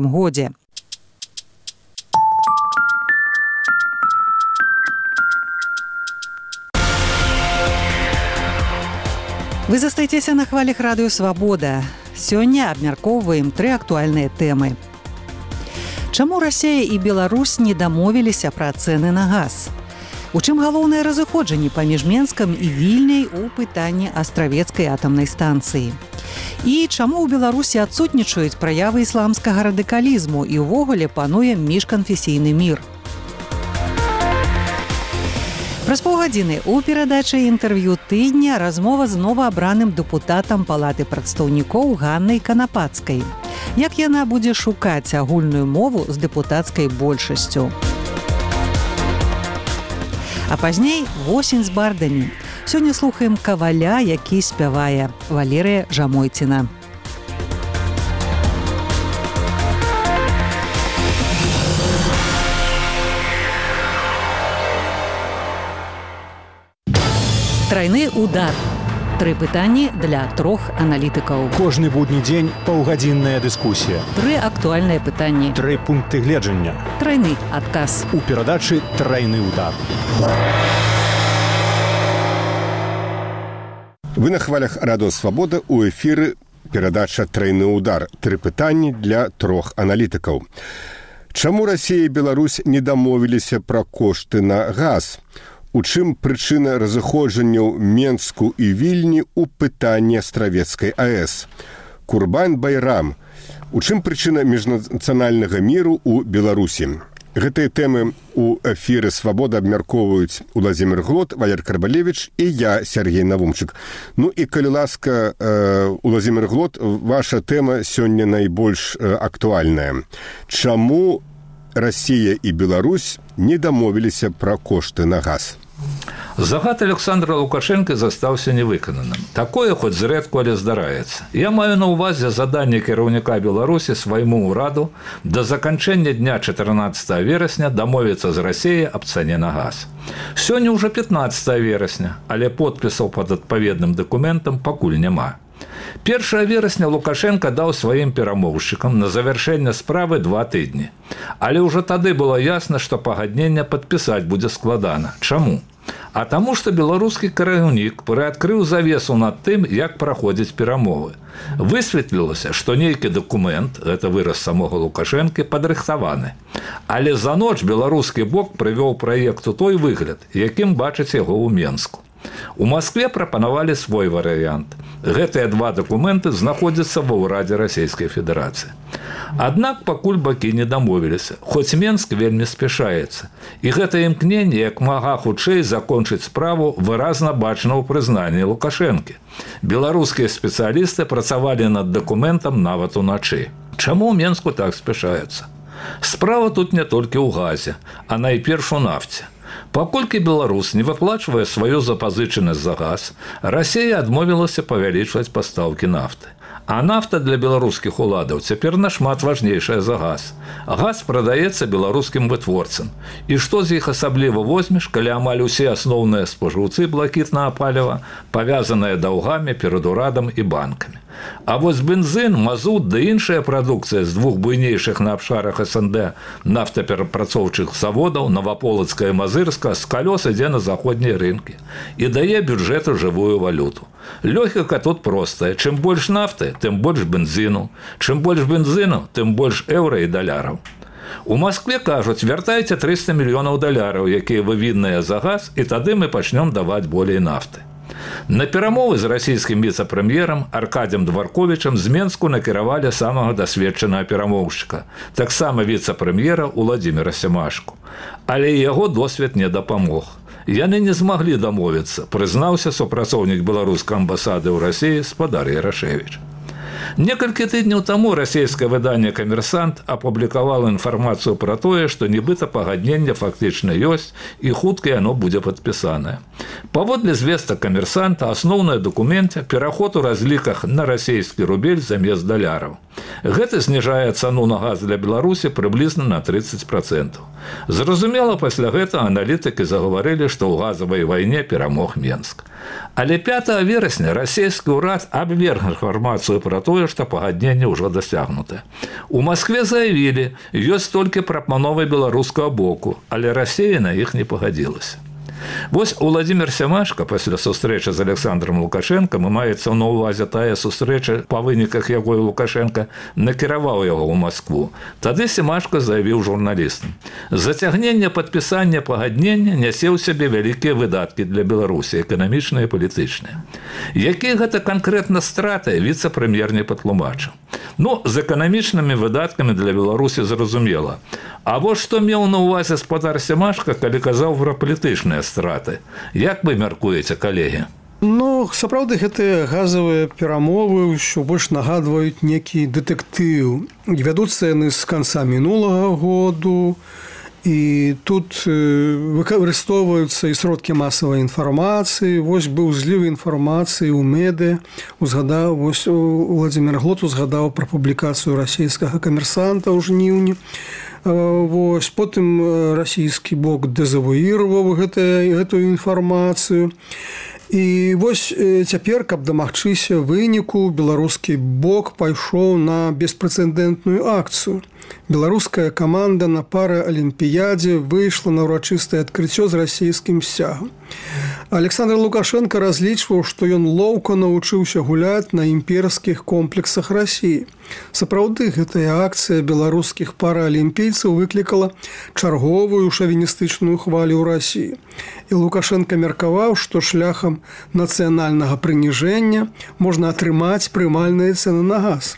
годзе. Вы застаецеся на хвалях радыё «Свабода». Сёння абмяркоўваем 3 актуальныя тэмы. Чаму Расія і Беларусь не дамовіліся пра цэны на газ? У чым галоўнае разыходжанне паміж Менскам і Вільняй у пытанні астравецкай атамнай станцыі? І чаму ў Беларусі адсутнічаюць праявы ісламскага радыкалізму і ўвогуле пануе міжканфесійны мір? Праз паўгадзіны ў перадачы інтэрв'ю тыдня размова з новаабраным дэпутатам Палаты прадстаўнікоў Ганнай Канапацкай. Як яна будзе шукаць агульную мову з дэпутацкай большасцю? А пазней восень з бардамі. Сёння слухаем каваля, які спявае, Валерыя Жамойціна. Трайны удар. 3 пытанні для 3 аналітыкаў. Кожны будні дзень паўгадзінная дыскусія. 3 актуальныя пытанні. 3 пункты гледжання. Трайны адказ. У перадачы «Трайны удар». Вы на хвалях радыё «Свабода», у эфіры перадача «Трайны удар». 3 пытанні для 3 аналітыкаў. Чаму Расія і Беларусь не дамовіліся пра кошты на газ? У чым прычына разыходжанняў Менску і Вільні ў пытанні астравецкай АЭС? Курбан Байрам. У чым прычына міжнацыянальнага міру ў Беларусі? Гэтыя тэмы ў эфіры «Свабода» абмяркоўваюць Уладзімір Глот, Валер Карбалевіч і я, Сергей Навумчык. Ну і, калі ласка, Уладзімір Глот, ваша тэма сёння найбольш актуальная. Чаму Расія і Беларусь не дамовіліся пра кошты на газ? Загад Александра Лукашенко застаўся невыкананым. Такое хоць зрэдку, але здараецца. Я маю на ўвазе заданне кіраўніка Беларусі свайму ўраду да заканчэння дня 14 верасня дамовіцца з Расіяй аб цане на газ. Сёння ўжо 15 верасня, але подпісаў пад адпаведным дакументам пакуль няма. 1 верасня Лукашенко даў сваім перамоўшчыкам на завяршэнне справы 2 тыдні. Але ўжо тады было ясна, што пагадненне падпісаць будзе складана. Чаму? А таму, што беларускі кіраўнік прыадкрыў завесу над тым, як праходзяць перамовы. Высветлілася, што нейкі дакумент, гэта выраз самога Лукашэнкі, падрыхтаваны. Але за ноч беларускі бок прывёў праект у той выгляд, якім бачыць яго ў Менску. У Маскве прапанавалі свой варыянт. Гэтыя 2 дакументы знаходзяцца ва ўрадзе Расійскай Федэрацыі. Аднак пакуль бакі не дамовіліся, хоць Менск вельмі спяшаецца. І гэта імкненне як мага хутчэй закончыць справу выразна бачна ў прызнанні Лукашэнкі. Беларускія спецыялісты працавалі над дакументам нават уначы. Чаму ў Менску так спяшаюцца? Справа тут не толькі ў газе, а найперш у нафце. Паколькі Беларусь не выплачвае сваю запазычанасць за газ, Расія адмовілася павялічваць пастаўкі нафты. А нафта для беларускіх уладаў цяпер нашмат важнейшая за газ. Газ прадаецца беларускім вытворцам. І што з іх асабліва возьмеш, калі амаль усе асноўныя спажыўцы блакітнага паліва павязаныя даўгамі перад урадам і банкамі. А вось бензин, мазут ды іншая прадукцыя з 2 буйнейшых на абшарах СНД нафтаперапрацоўчых заводаў Новаполацка і Мазырска з калёс ідзе на заходнія рынкі і дае бюджэту жывую валюту. Логіка тут простая. Чым больш нафты, тым больш бензіну. Чым больш бензіну, тым больш еўра і даляраў. У Маскве кажуць, вяртайце 300 мільёнаў даляраў, якія вывінныя за газ, і тады мы пачнём даваць болей нафты. На перамовы з расійскім віцэ-прэм'ерам Аркадзем Дварковічам з Менску накіравалі самага дасведчанага перамоўшчыка, таксама віцэ-прэм'ера Уладзіміра Сямашку. Але яго досвед не дапамог. Яны не змаглі дамовіцца, прызнаўся супрацоўнік беларускай амбасады ў Расіі спадар Ярашэвіч. Некалькі тыдняў таму расійскае выданне «Камерсант» апублікавала інфармацыю пра тое, што нібыта пагадненне фактычна ёсць і хутка яно будзе падпісанае. Паводле звестак «Камерсанта» асноўнае дакуменце пераход у разліках на расійскі рубель замест даляраў. Гэта зніжае цану на газ для Беларусі прыблізна на 30%. Зразумела, пасля гэтага аналітыкі загаварылі, што ў газавай вайне перамог Менск. Але 5 верасня расійскі ўрад абверг інфармацыю пра тое, тое, што пагадненне ўжо дасягнутае. У Маскве заявілі, ёсць толькі прапановы беларускага боку, але Расія на іх не пагадзілася. Вось Уладзімір Сямашка пасля сустрэчы з Александром Лукашенком, і маецца на ўвазе тая сустрэча, па выніках якой Лукашенко накіраваў яго ў Маскву. Тады Сямашка заявіў журналістам: зацягненне падпісання пагаднення нясе ў сябе вялікія выдаткі для Беларусі, эканамічныя і палітычныя. Якія гэта канкрэтна страты, віцэ-прэм'ер не патлумачыў. З эканамічнымі выдаткамі для Беларусі зразумела. А вось што меў на ўвазе спадар Сямашка, калі казаў пра палітычныя страты. Як вы мяркуеце, калегі? Сапраўды, гэтыя газавыя перамовы ўсё больш нагадваюць некі дэтэктыў. Вядуцца яны з канца мінулага году, і тут выкарыстоўваюцца і сродкі масавай інфармацыі. Вось быў зліў інфармацыі ў медыа. Вось Уладзімір Глот узгадаў пра публікацыю расійскага камерсанта ў жніўні. Вось, потым расійскі бок дэзавуіраваў гэтую інфармацыю. І вось цяпер, каб дамагчыся выніку, беларускі бок пайшоў на беспрэцэдэнтную акцыю. Беларуская каманда на параалімпіядзе выйшла на ўрачыстае адкрыццё з расійскім сцягам. Александр Лукашенко разлічваў, што ён лоўка навучыўся гуляць на імперскіх комплексах Расіі. Сапраўды, гэтая акцыя беларускіх параалімпійцаў выклікала чарговую шавіністычную хвалю ў Расіі. І Лукашенко меркаваў, што шляхам нацыянальнага прыніжэння можна атрымаць прымальныя цэны на газ.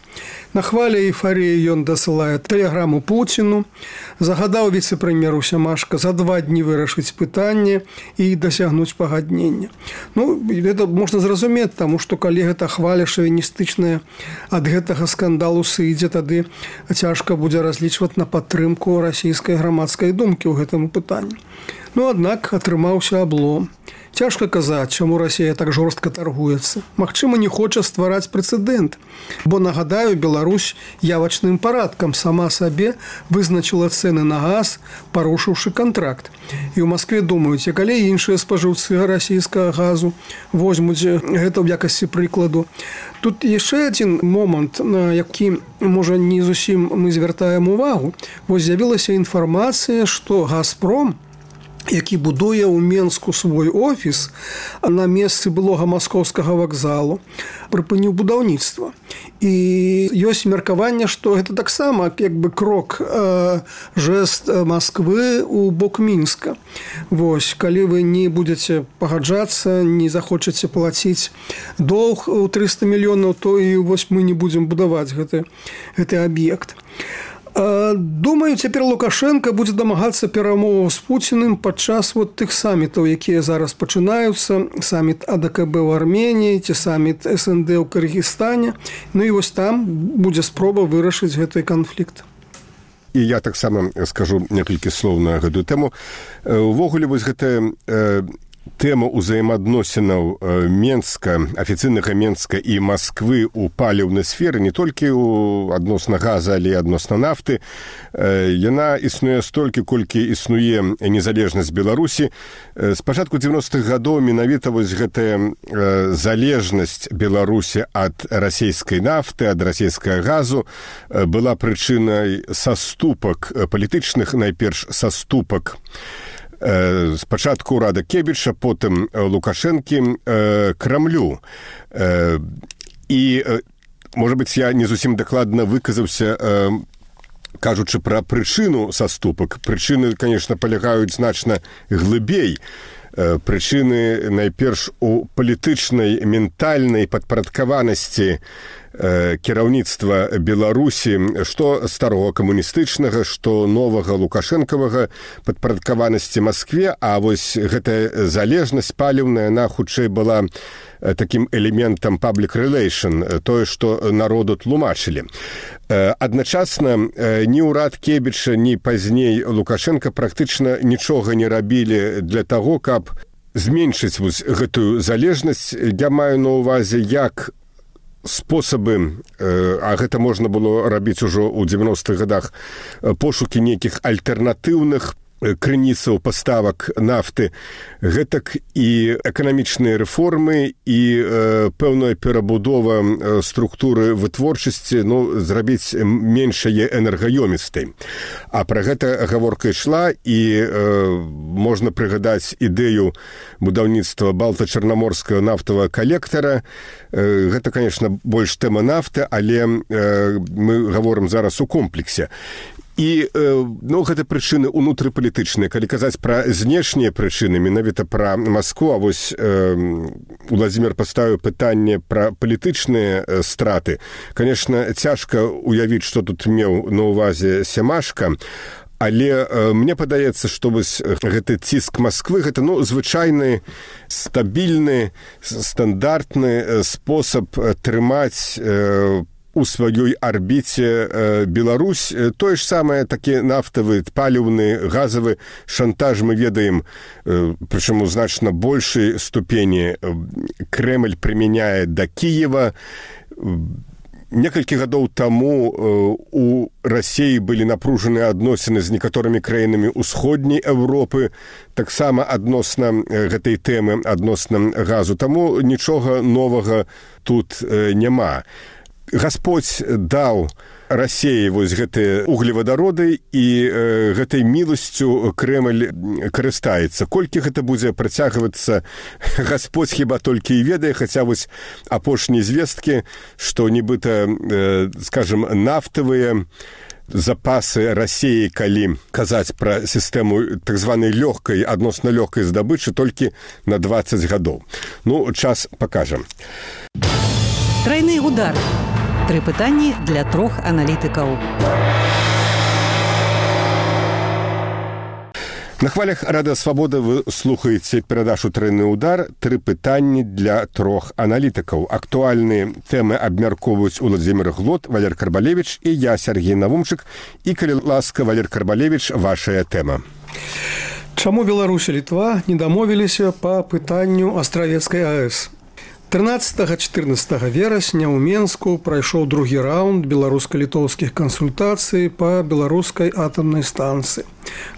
На хвале эйфарыі ён дасылае тэлеграму Пуціну, загадаў віцэ-прэм'еру Сямашка за 2 дні вырашыць пытанне і дасягнуць пагаднення. Гэта можна зразумець, таму што калі гэта хваля шавіністычная ад гэтага скандалу сыдзе, тады цяжка будзе разлічваць на падтрымку расійскай грамадскай думкі ў гэтым пытанні. Аднак атрымаўся аблом. Цяжка казаць, чаму Расія так жорстка таргуецца. Магчыма, не хоча ствараць прэцэдэнт. Бо, нагадаю, Беларусь явачным парадкам сама сабе вызначыла цэны на газ, парушыўшы кантракт. І ў Маскве думаюць, а калі іншыя спажыўцы расійскага газу возьмуць гэта ў якасці прыкладу. Тут яшчэ адзін момант, на які, можа, не зусім мы звяртаем увагу. Вось з'явілася інфармацыя, што «Газпром», які будуе ў Менску свой офіс на месцы былога маскоўскага вакзалу, прыпыніў будаўніцтва. І ёсць меркаванне, што гэта таксама крок, жэст Масквы ў бок Мінска. Вось, калі вы не будзеце пагаджацца, не захочаце плаціць доўг у 300 мільёнаў, то і вось мы не будзем будаваць гэты аб'ект. Думаю, цяпер Лукашенко будзе дамагацца перамоваў з Пуціным падчас тых самітаў, якія зараз пачынаюцца, саміт АДКБ ў Арменіі ці саміт СНД ў Кыргызстане. І вось там будзе спроба вырашыць гэты канфлікт. І я таксама скажу некалькі слоў на гэтую тэму. Увогуле, вось гэтая тэма ўзаемаадносінаў Менска, афіцыйнага Менска і Масквы ў паліўнай сферы, не толькі адносна газа, але і адносна нафты. Яна існуе столькі, колькі існуе незалежнасць Беларусі. З пачатку 90-х гадоў менавіта вось гэтая залежнасць Беларусі ад расійскай нафты, ад расійскага газу была прычынай саступак палітычных, найперш саступак спачатку ўрада Кебіча, потым Лукашэнкі Крамлю. І, можа быць, я не зусім дакладна выказаўся, кажучы пра прычыну саступак. Прычыны, конечно, палягаюць значна глыбей. Прычыны найперш у палітычнай, ментальнай падпарадкаванасці кіраўніцтва Беларусі, што старого камуністычнага, што новага лукашэнкавага падпарадкаванасці Маскве, а вось гэтая залежнасць паліўная, яна хутчэй была такім элементам public relation, тое, што народу тлумачылі. Адначасна ні ўрад Кебіча, ні пазней Лукашенка практычна нічога не рабілі для таго, каб зменшыць вось гэтую залежнасць. Я маю на ўвазе, як спосабы, а гэта можна было рабіць ужо ў 90-х гадах, пошукі нейкіх альтэрнатыўных крыніцаў паставак нафты, гэтак і эканамічныя рэформы і пэўная перабудова структуры вытворчасці, зрабіць меншае энергаёмістай. А пра гэта гаворка ішла, і можна прыгадаць ідэю будаўніцтва балта-чарнаморскага нафтавага калектара. Гэта, конечно, больш тэма нафты, але мы гаворым зараз у комплексе. І гэта прычыны ўнутрыпалітычныя. Калі казаць пра знешнія прычыны, менавіта пра Маскву, а вось Уладзімір паставіў пытанне пра палітычныя страты. Конечно, цяжка уявіць, што тут меў на ўвазе Сямашка, але мне падаецца, што вось гэты ціск Масквы, гэта звычайны, стабільны, стандартны спосаб трымаць у сваёй арбіце Беларусь. Тое ж самае, такі нафтавы, паліўны, газавы шантаж мы ведаем, прычым у значна большай ступені Крэмль прымяняе да Кіева. Некалькі гадоў таму у Расіі былі напружаныя адносіны з некаторымі краінамі ўсходняй Еўропы, таксама адносна гэтай тэмы, адносна газу. Таму нічога новага тут няма. Гасподзь даў Расіі вось гэтыя углевадароды, і гэтай міласцю Крэмль карыстаецца. Колькі гэта будзе працягвацца, Гасподзь хіба толькі і ведае, хаця вось апошнія звесткі, што нібыта, скажем, нафтавыя запасы Расіі, калі казаць пра сістэму так званай лёгкай, адносна лёгкай здабычы, толькі на 20 гадоў. Час пакажа. Трайны удар. 3 пытанні для 3 аналітыкаў. На хвалях Радыё Свабода вы слухаеце перадачу «Трайны удар». 3 пытанні для 3 аналітыкаў. Актуальныя тэмы абмяркоўваюць Уладзімір Глот, Валер Карбалевіч і я, Сергей Навумчык. І, калі ласка, Валер Карбалевіч, вашая тэма. Чаму Беларусь і Літва не дамовіліся па пытанню Астравецкай АЭС? 13-14 верасня ў Менску прайшоў другі раунд беларуска-літоўскіх кансультацый па беларускай атамнай станцыі.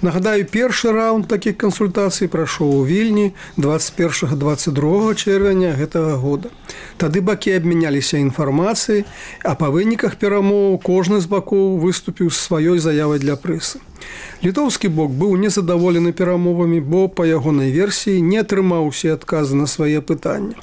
Нагадаю, першы раунд такіх кансультацый прайшоў у Вільні 21-22 чэрвеня гэтага года. Тады бакі абмяняліся інфармацыяй, а па выніках перамоў кожны з бакоў выступіў з сваёй заявай для прэсы. Літоўскі бок быў незадаволены перамовамі, бо па ягонай версіі не атрымаў усе адказы на свае пытанні.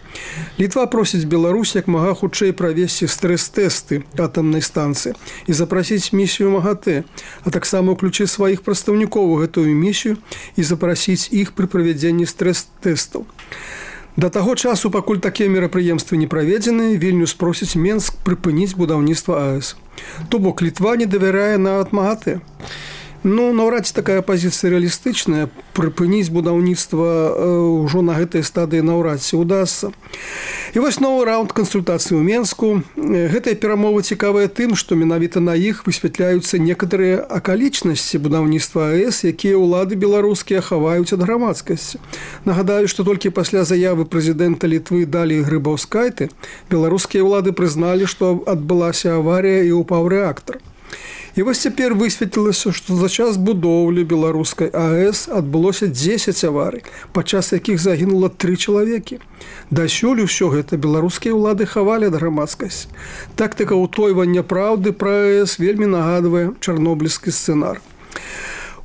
Літва просіць Беларусь як мага хутчэй правесці стрэс-тэсты атамнай станцыі і запрасіць місію МАГАТЭ, а таксама ўключыць сваіх прадстаўнікоў у гэтую місію і запрасіць іх пры правядзенні стрэс-тэстаў. Да таго часу, пакуль такія мерапрыемствы не праведзены, Вільнюс просіць Менск прыпыніць будаўніцтва АЭС. То бок Літва не давярае нават МАГАТЭ. Наўрад ці такая пазіцыя рэалістычная, прыпыніць будаўніцтва ўжо на гэтай стадыі наўрад ці ўдасца. І вось новы раунд кансультацый у Менску. Гэтыя перамовы цікавыя тым, што менавіта на іх высвятляюцца некаторыя акалічнасці будаўніцтва АЭС, якія ўлады беларускія хаваюць ад грамадскасці. Нагадаю, што толькі пасля заявы прэзідэнта Літвы Даліі Грыбаўскайты беларускія ўлады прызналі, што адбылася аварыя і упаў рэактар. І вось цяпер высветлілася, што за час будоўлі беларускай АЭС адбылося 10 аварый, падчас якіх загінула 3 чалавекі. Дасюль усё гэта беларускія ўлады хавалі ад грамадскасці. Тактыка ўтойвання праўды пра АЭС вельмі нагадвае чарнобыльскі сцэнар.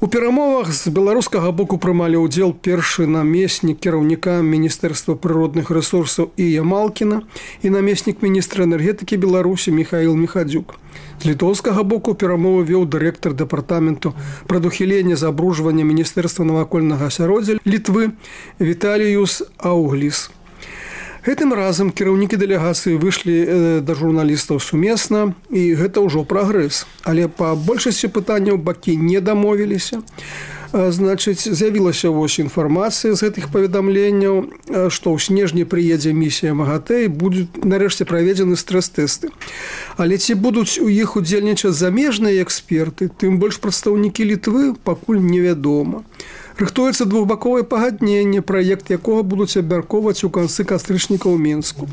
У перамовах з беларускага боку прымалі ўдзел першы намеснік кіраўніка Міністэрства прыродных рэсурсаў Ія Малкіна і намеснік міністра энергетыкі Беларусі Міхаіл Міхадзюк. З літоўскага боку перамовы вёў дырэктар дэпартаменту прадухілення забруджвання Міністэрства навакольнага асяроддзя Літвы Віталіюс Аўгліс. Гэтым разам кіраўнікі дэлегацыі выйшлі да журналістаў сумесна, і гэта ўжо прагрэс. Але па большасці пытанняў бакі не дамовіліся. З'явілася вось інфармацыя з гэтых паведамленняў, што ў снежні прыедзе місія МАГАТЭ і будуць нарэшце праведзены стрэс-тэсты. Але ці будуць у іх удзельнічаць замежныя эксперты, тым больш прадстаўнікі Літвы пакуль невядома. Рыхтуецца двухбаковае пагадненне, праект якога будуць абмяркоўваць у канцы кастрычніка ў Менску.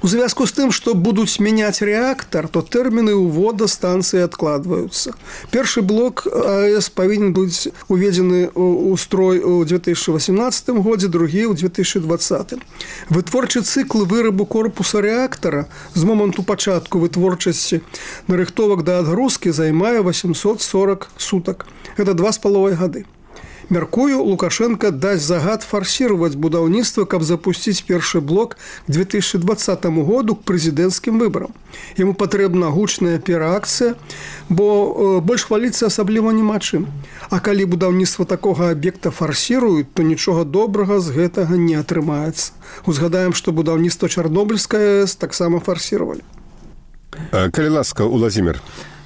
У звязку з тым, што будуць мяняць рэактар, то тэрміны ўвода станцыі адкладваюцца. Першы блок АЭС павінен быць уведзены ў строй у 2018 годзе, другі ў 2020. Вытворчы цыкл вырабу корпуса рэактара з моманту пачатку вытворчасці нарыхтовак да адгрузкі займае 840 сутак. Гэта 2,5 гады. Мяркую, Лукашенко дасць загад фарсировать будаўніцтва, каб запусціць першы блок к 2020 году к прэзідэнцкім выбарам. Яму патрэбна гучная пераакцыя, бо больш хваліцца асабліва няма чым. А калі будаўніцтва такога аб'екта фарсіруюць, то нічога добрага з гэтага не атрымаецца. Узгадаем, што будаўніцтва Чарнобыльскай АЭС таксама фарсіравалі. Калі ласка, Уладзімір.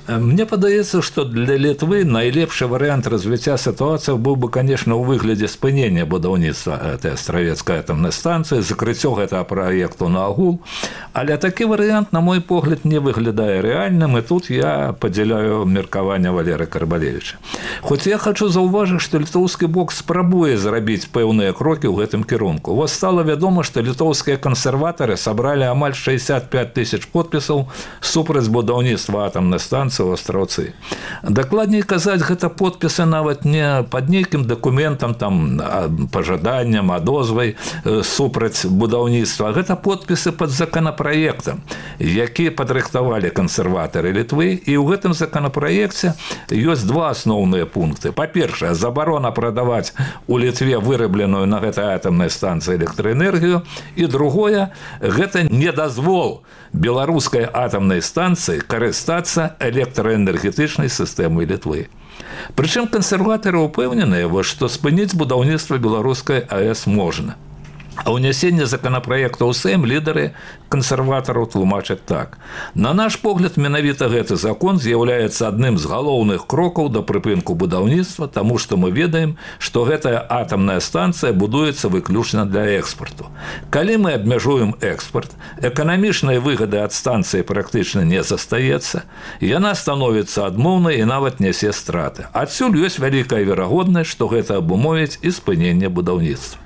Мне падаецца, што для Літвы найлепшы варыянт развіцця сітуацыі быў бы, конечно, ў выглядзе спынення будаўніцтва гэтай астравецкай атамнай станцыі, закрыццё гэтага праекту наогул. Але такі варыянт, на мой погляд, не выглядае рэальным, і тут я падзяляю меркаванне Валерыя Карбалевіча. Хоць я хочу заўважыць, што літоўскі бок спрабуе зрабіць пэўныя крокі ў гэтым кірунку. Вось стала вядома, што літоўскія кансерватары сабралі амаль 65 000 подпісаў супраць будаўніцтва атамнай станцыі у Астраўцы. Дакладней казаць, гэта подпісы нават не пад нейкім дакументам, там, пажаданням, адозвай супраць будаўніцтва. Гэта подпісы пад законапраектам, які падрыхтавалі кансерватары Літвы. І ў гэтым законапраекце ёсць два асноўныя пункты. Па-першае, забарона прадаваць у Літве вырабленую на гэтай атамнай станцыі электраэнергію. І другое, гэта недазвол беларускай атамнай станцыі карыстацца электраэнергетычнай сістэмай Літвы. Прычым кансерватары ўпэўненыя, што спыніць будаўніцтва беларускай АЭС можна. А ўнясенне законапраекта ў Сейм лідары кансерватараў тлумачаць так. На наш погляд, менавіта гэты закон з'яўляецца адным з галоўных крокаў да прыпынку будаўніцтва, таму што мы ведаем, што гэтая атамная станцыя будуецца выключна для экспарту. Калі мы абмяжуем экспарт, эканамічнай выгады ад станцыі практычна не застаецца, яна становіцца адмоўнай і нават нясе страты. Адсюль ёсць вялікая верагоднасць, што гэта абумовіць і спыненне будаўніцтва.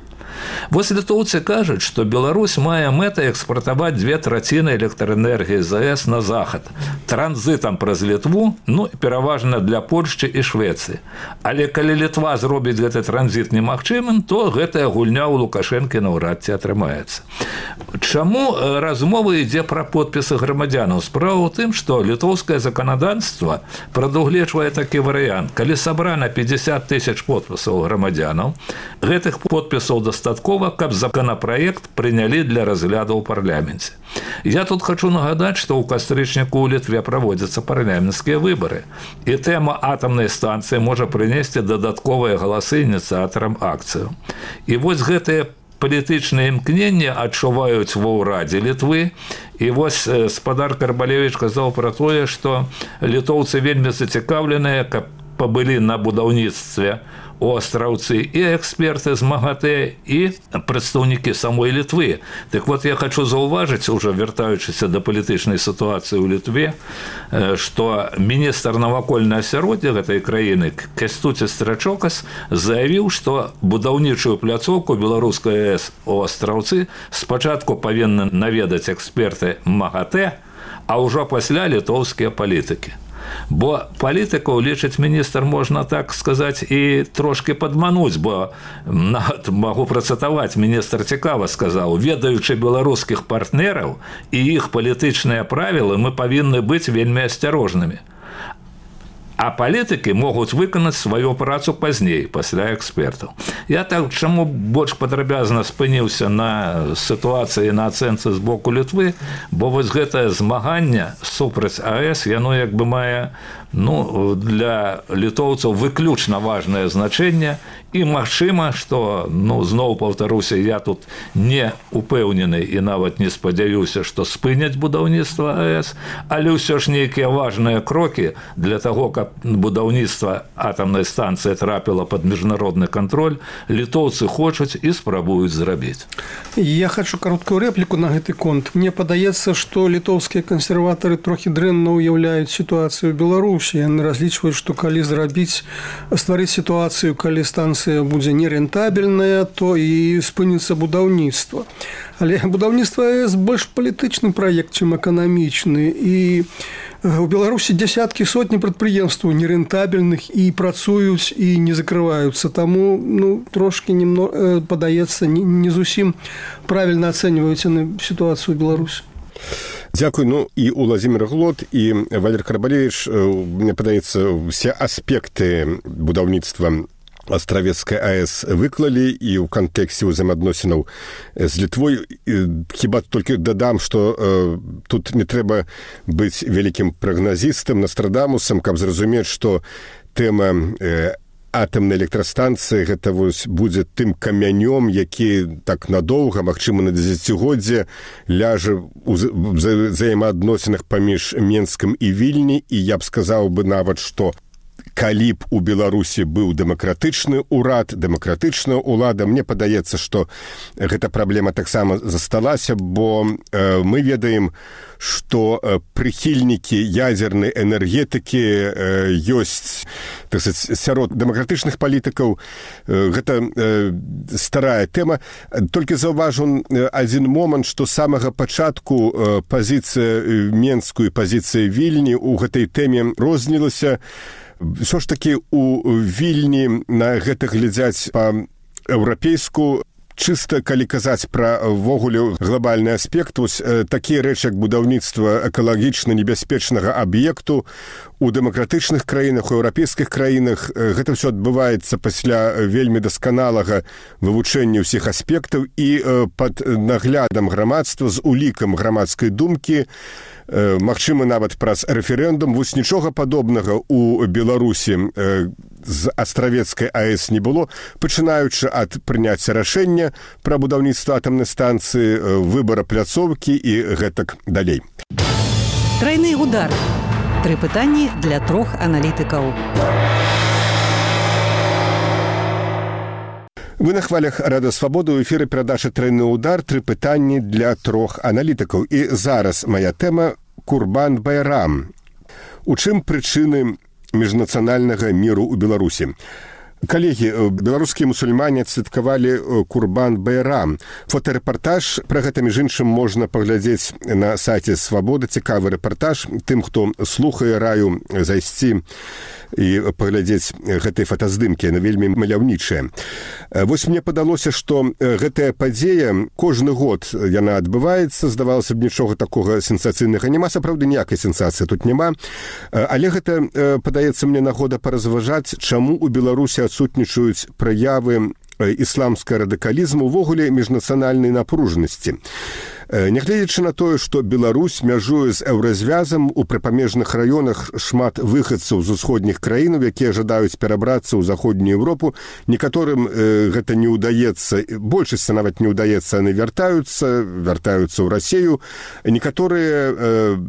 Вось літоўцы кажуць, што Беларусь мае мэтай экспартаваць 2/3 электраэнергіі з АЭС на захад, транзітам праз Літву, пераважна для Польшчы і Швецыі. Але калі Літва зробіць гэты транзіт немагчымым, то гэтая гульня ў Лукашэнкі наўрад ці атрымаецца. Чаму размова ідзе пра подпісы грамадзянаў? Справа ў тым, што літоўскае заканадаўства прадугледжвае такі варыянт. Калі сабрана 50 000 подпісаў грамадзянаў, гэтых подпісаў дастаткова, каб законапраект прынялі для разгляду ў парламенце. Я тут хочу нагадаць, што ў кастрычніку ў Літве праводзяцца парламенцкія выбары, і тэма атамнай станцыі можа прынесці дадатковыя галасы ініцыятарам акцыю. І вось гэтыя палітычныя імкненні адчуваюць ва ўрадзе Літвы. І вось спадар Карбалевіч казаў пра тое, што літоўцы вельмі зацікаўленыя, каб пабылі на будаўніцтве у Астраўцы і эксперты з МАГАТЭ, і прадстаўнікі самой Літвы. Так вот, я хочу заўважыць, уже вяртаючыся да палітычнай сітуацыі ў Літве, што міністр навакольнага асяроддзя гэтай краіны Кястуці Страчокас заявіў, што будаўнічую пляцоўку беларускай АЭС у Астраўцы спачатку павінны наведаць эксперты МАГАТЭ, а ўжо пасля літоўскія палітыкі. Бо палітыкаў, лічыць міністр, можна так сказаць і трошки падмануць, бо магу працытаваць, міністр цікава сказаў: ведаючы беларускіх партнераў і іх палітычныя правілы, мы павінны быць вельмі асцярожнымі. А палітыкі могуць выканаць сваю працу пазней, пасля экспертаў. Я так чаму больш падрабязна спыніўся на сітуацыі, на ацэнцы з боку Літвы, бо вось гэтае змаганне супраць АЭС, яно як бы мае для літоўцаў выключна важнае значэнне. І магчыма, што, зноў паўтаруся, я тут не упэўнены і нават не спадзяюся, што спыняць будаўніцтва АЭС, але ўсё ж нейкія важныя крокі для таго, каб будаўніцтва атамнай станцыі трапіла пад міжнародны кантроль, літоўцы хочуць і спрабуюць зрабіць. Я хочу кароткую рэпліку на гэты конт. Мне падаецца, што літоўскія кансерватары трохі дрэнна ўяўляюць сітуацыю ў Беларусі. Беларусі. Яны разлічваюць, што калі стварыць сітуацыю, калі станцыя будзе нерентабельная, то і спыніцца будаўніцтва. Але будаўніцтва АЭС больш палітычны праект, чым эканамічны. І у Беларусі дзясяткі, сотні прадпрыемстваў нерентабельных і працуюць і не закрываюцца. Таму трошкі падаецца, не зусім правільна ацэньваюць яны сітуацыю ў Беларусі. Дзякуй. І Уладзімір Глот, і Валерий Карабалевич, мне падаецца, все аспекты будаўніцтва Астравецкай АЭС выклалі і ў кантэксце ўзаемаадносінаў з Літвой. Хіба толькі дадам, што тут не трэба быць вялікім прагназістам, Нострадамусам, каб зразумець, што тэма атамнай электрастанцыі гэта будзе тым камянём, які так надоўга, магчыма, на дзесяцігоддзе ляжа ў взаемаадносінах паміж Менскам і Вільні. І я б сказаў бы нават, што калі б у Беларусі быў дэмакратычны ўрад, дэмакратычная ўлада, мне падаецца, што гэта праблема таксама засталася, бо мы ведаем, што прыхільнікі ядзернай энергетыкі ёсць, так сказать, сярод дэмакратычных палітыкаў. Гэта старая тэма. Толькі заўважу адзін момант, што з самага пачатку пазіцыя Менскую і пазіцыя Вільні ў гэтай тэме рознілася. Ўсё ж такі у Вільні на гэта глядзяць па-еўрапейску. Чыста, калі казаць пра ввогуле глобальны аспект, такія рэчы, як будаўніцтва экалагічна небяспечнага аб'екту у дэмакратычных краінах, у еўрапейскіх краінах, гэта ўсё адбываецца пасля вельмі дасканалага вывучэння ўсіх аспектаў і пад наглядам грамадства, з улікам грамадскай думкі, магчыма, нават праз рэферэндум. Нічога падобнага ў Беларусі з Астравецкай АЭС не было, пачынаючы ад прыняцця рашэння пра будаўніцтва атамнай станцыі, выбара пляцоўкі і гэтак далей. Трайны удар. 3 пытанні для 3 аналітыкаў. Вы на хвалях Радыё Свабода, у эфіры перадача «Трайны удар», 3 пытанні для 3 аналітыкаў. І зараз моя тэма Курбан-Байрам. У чым прычыны міжнацыянальнага міру ў Беларусі? Калегі, беларускія мусульмане адсвяткавалі Курбан-Байрам. Фотарэпартаж пра гэта, між іншым, можна паглядзець на сайце Свабода. Цікавы рэпартаж. Тым, хто слухае, раю зайсці і паглядзець гэтай фотаздымкі. Яны вельмі маляўнічыя. Мне падалося, што гэтая падзея кожны год яна адбываецца. Здавалася б, нічога такога сенсацыйнага няма. Сапраўды, ніякай сенсацыі тут няма. Але гэта, падаецца мне, нагода паразважаць, чаму ў Беларусі адсутнічаюць праявы ісламскага радыкалізму, увогуле міжнацыянальнай напружанасці. Нягледзячы на тое, што Беларусь мяжуе з еўразвязам, у прыпамежных раёнах шмат выхадцаў з усходніх краінаў, якія жадаюць перабрацца ў заходнюю Еўропу. Некаторым гэта не ўдаецца, большасці нават не ўдаецца, яны вяртаюцца ў Расію. Некаторыя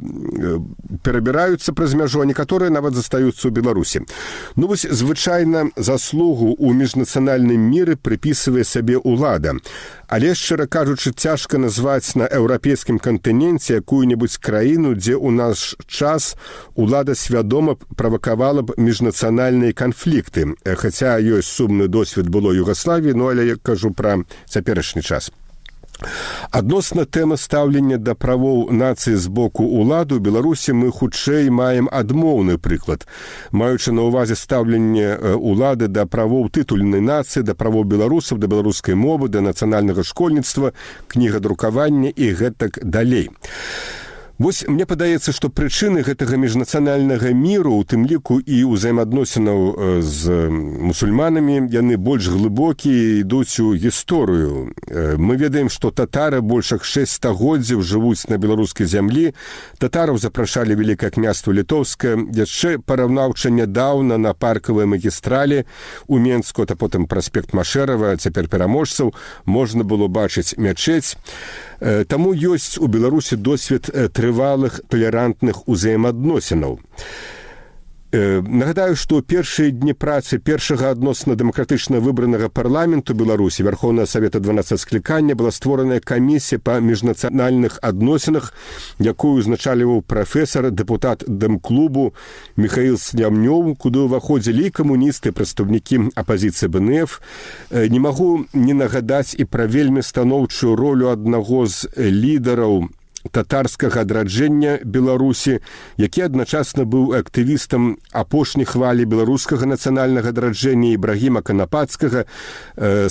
перабіраюцца праз мяжу, а некаторыя нават застаюцца ў Беларусі. Звычайна заслугу ў міжнацыянальным міры прыпісвае сабе ўлада. Але, шчыра кажучы, цяжка назваць на еўрапейскім кантыненце якую-небудзь краіну, дзе ў наш час улада свядома правакавала б міжнацыянальныя канфлікты. Хаця ёсць сумны досвед было Югаславіі, але я кажу пра цяперашні час. Адносна тэмы стаўлення да правоў нацыі з боку ўлады ў Беларусі мы хутчэй маем адмоўны прыклад. Маючы на ўвазе стаўленне ўлады да правоў тытульнай нацыі, да правоў беларусаў, да беларускай мовы, да нацыянальнага школьніцтва, кнігадрукавання і гэтак далей. Мне падаецца, што прычыны гэтага міжнацыянальнага міру, у тым ліку і ўзаемаадносінаў з мусульманамі, яны больш глыбокія, ідуць у гісторыю. Мы ведаем, што татары больш як 6 стагоддзяў жывуць на беларускай зямлі. Татараў запрашалі Вялікае княства Літоўскае. Яшчэ параўнаўча нядаўна на паркавай магістралі у Менску, а потым праспект Машэрава, цяпер пераможцаў, можна было бачыць мячэць. Таму ёсць у Беларусі досвед трывалых талерантных узаемаадносінаў. Нагадаю, што першыя дні працы першага адносна дэмакратычна выбранага парламенту Беларусі Верховнага Савета 12 склікання была створаная камісія па міжнацыянальных адносінах, якую узначальваў прафесар, дэпутат Дэмклубу Михаил Слямнёў, куды ўваходзілі і камуністы, прадстаўнікі апазіцыі БНФ. Не магу не нагадаць і пра вельмі станоўчую ролю аднаго з лідараў татарскага адраджэння Беларусі, які адначасна быў актывістам апошняй хвалі беларускага нацыянальнага адраджэння Ібрагіма Канапацкага.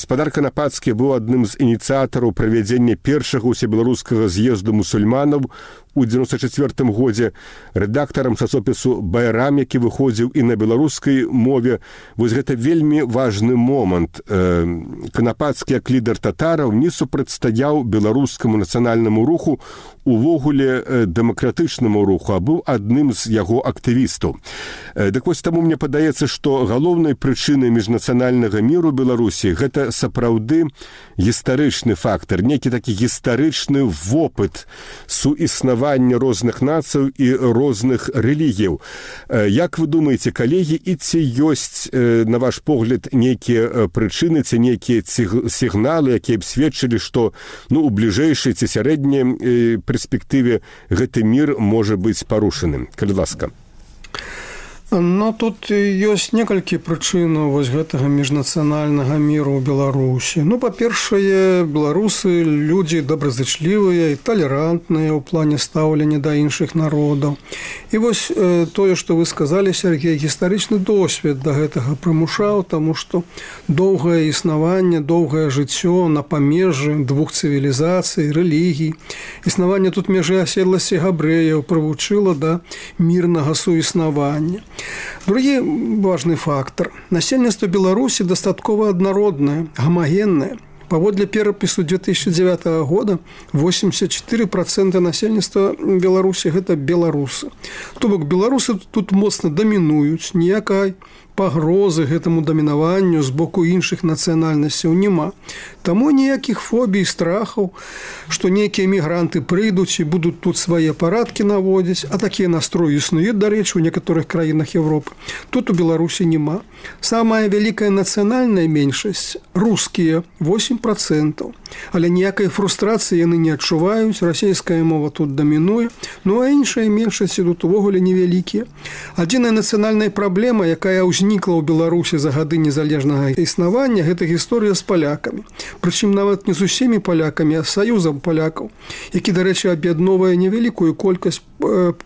Спадар Канапацкі быў адным з ініцыятараў правядзення першага ўсебеларускага з'езду мусульманаў у 94 годзе, рэдактарам часопісу «Байрам», які выходзіў і на беларускай мове. Вось гэта вельмі важны момант. Канапацкі, як лідар татараў, не супрацьстаяў беларускаму нацыянальнаму руху, увогуле дэмакратычнаму руху, а быў адным з яго актывістаў. Дык вось таму мне падаецца, што галоўнай прычынай міжнацыянальнага міру Беларусі гэта сапраўды гістарычны фактар, нейкі такі гістарычны вопыт суіснавання розных нацый і розных рэлігіяў. Як вы думаеце, калегі, і ці ёсць, на ваш погляд, нейкія прычыны, ці нейкія сігналы, якія б сведчылі, што у бліжэйшай ці сярэдняй перспектыве гэты мір можа быць парушаным? Калі ласка. Тут ёсць некалькі прычынаў вось гэтага міжнацыянальнага міру ў Беларусі. Па-першае, беларусы людзі добразычлівыя і талерантныя ў плане стаўлення да іншых народаў. І вось тое, што вы сказалі, Сергей, гістарычны досвед да гэтага прымушаў, таму што доўгае існаванне, доўгае жыццё на памежжы двух цывілізацый, рэлігій, існаванне тут межы аседласці габрэяў прывучыла да мірнага суіснавання. Другі важны фактар. Насельніцтва Беларусі дастаткова аднароднае, гамагеннае. Паводле перапісу 2009 года 84% насельніцтва Беларусі гэта беларусы. То бок беларусы тут моцна дамінуюць, ніякай пагрозы гэтаму дамінаванню з боку іншых нацыянальнасцяў няма. Таму ніякіх фобій, страхаў, што нейкія мігранты прыйдуць і будуць тут свае парадкі наводзіць, а такія настроі існуюць, дарэчы, у некаторых краінах Европы. Тут у Беларусі няма. Самая вялікая нацыянальная меншасць – рускія, 8%. Але ніякай фрустрацыі яны не адчуваюць, расійская мова тут дамінуе, а іншыя меншасці тут увогуле невялікія. Адзіная нацыянальная праблема, якая ўзнікла ў Беларусі за гады незалежнага існавання, гэта гісторыя з палякамі. Прычым нават не з усімі палякамі, а з саюзам палякаў, які, дарэчы, аб'ядноўвае невялікую колькасць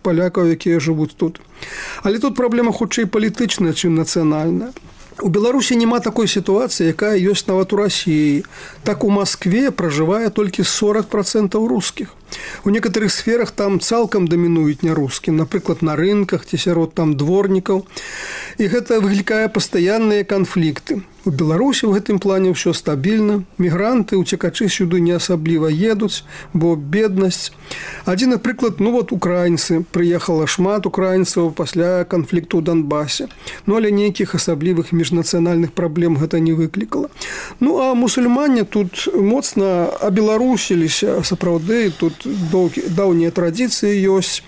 палякаў, якія жывуць тут. Але тут праблема хутчэй палітычная, чым нацыянальная. У Беларусі няма такой сітуацыі, якая ёсць нават у Расіі. Так у Маскве пражывае толькі 40% рускіх. У некаторых сферах там цалкам дамінуюць нярускі, напрыклад, на рынках ці сярод там дворнікаў. І гэта выклікае пастаянныя канфлікты. У Беларусі ў гэтым плане ўсё стабільна. Мігранты, уцекачы сюды не асабліва едуць, бо беднасць. Адзін прыклад, украінцы. Прыехала шмат украінцаў пасля канфлікту ў Донбасе. Але нейкіх асаблівых міжнацыянальных праблем гэта не выклікала. А мусульмане тут моцна абеларусіліся, сапраўды, тут даўнія традыцыі ёсць.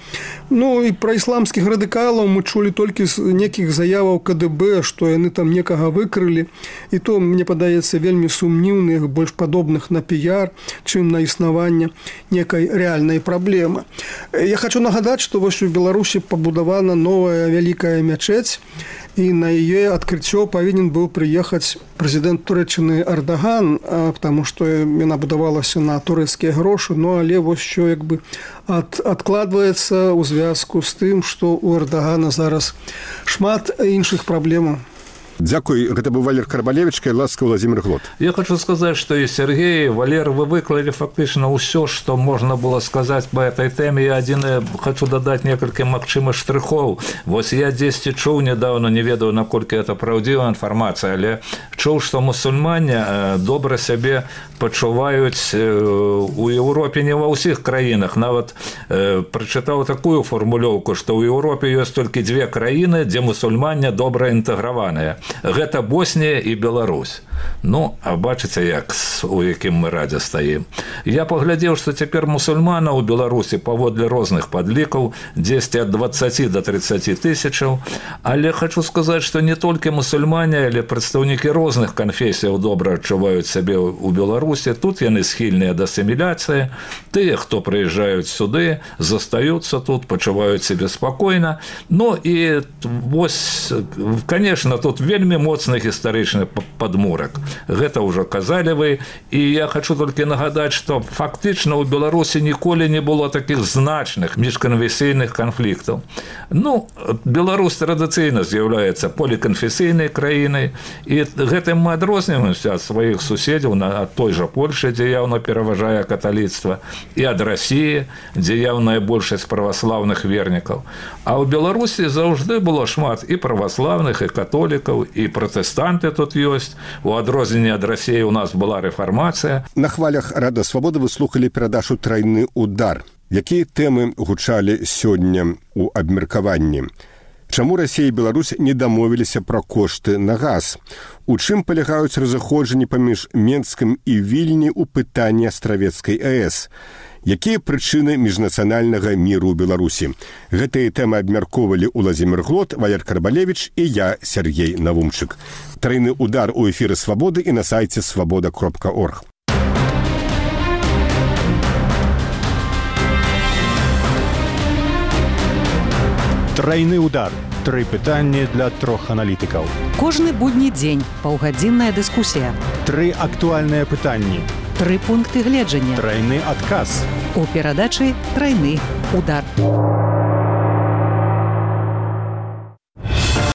І пра ісламскіх радыкалаў мы чулі толькі з нейкіх заяваў КДБ, што яны там некага выкрылі. І то, мне падаецца, вельмі сумнівных, больш падобных на піяр, чым на існаванне некай рэальнай праблемы. Я хочу нагадаць, што вось у Беларусі пабудавана новая вялікая мячэць, і на яе адкрыццё павінен быў прыехаць прэзідэнт Турэччыны Эрдаган, потому што яна будавалася на турэцкія грошы, але вось що адкладваецца ў звязку з тым, што ў Эрдагана зараз шмат іншых праблемаў. Дзякуй, гэта быў Валер Карбалевич, ласка, Владимир Глот. Я хочу сказать, что и Сергей, и Валер, вы выклали фактично все, что можно было сказать по этой теме. Я хочу додать несколько магчымых штрихов. Вот я 10 чуў недавно, не ведаю, наколькі это правдивая информация, але чуў, что мусульмане добра себе пачуваюць у Европе не во всех краинах. Нават прочитал такую формулёўку, что в Европе есть только 2 краины, где мусульмане добра интеграваныя. гэта Боснія і Беларусь. Ну, а бачыце, у якім мы радзе стаім. Я паглядзеў, што цяпер мусульманаў у Беларусі паводле розных падлікаў дзесьці ад 20 до 30 тысячаў, але хочу сказаць, што не толькі мусульмане, але прадстаўнікі розных канфесіяў добра адчуваюць сябе ў Беларусі. Тут яны схільныя да асіміляцыі. Тыя, хто прыязджаюць сюды, застаюцца тут, пачуваюць сябе спакойна. Ну і вось, конечно, тут вельмі моцны гістарычны падмурак. Гэта ўжо казалі вы, і я хочу толькі нагадаць, што фактычна ў Беларусі ніколі не было такіх значных міжканфесійных канфліктаў. Ну, Беларусь традыцыйна з'яўляецца поліканфесійнай краінай, і гэтым мы адрозніваемся ад сваіх суседзяў, ад той жа Польшы, дзе яўна пераважае каталіцтва, і ад Расіі, дзе яўная большасць праваслаўных вернікаў. А ў Беларусі заўжды было шмат і праваслаўных, і католікаў, і пратэстанты тут ёсць. У адрозненне ад Расіі у нас была рэфармацыя. На хвалях Радыё Свабода вы слухалі перадачу «Трайны удар». Якія тэмы гучалі сёння ў абмеркаванні? Чаму Расія і Беларусь не дамовіліся пра кошты на газ? У чым палягаюць разыходжанні паміж Менскам і Вільні ў пытанні Астравецкай АЭС? Якія прычыны міжнацыянальнага міру ў Беларусі? Гэтыя тэмы абмяркоўвалі Уладзімір Глот, Валер Карбалевіч і я, Сергей Навумчык. «Трайны удар» у эфіры «Свабоды» і на сайце свабода.орг. Трайны удар. 3 пытанні для 3 аналітыкаў. Кожны будні дзень паўгадзінная дыскусія. 3 актуальныя пытанні. 3 пункты гледжання. Трайны адказ. У перадачы «Трайны удар».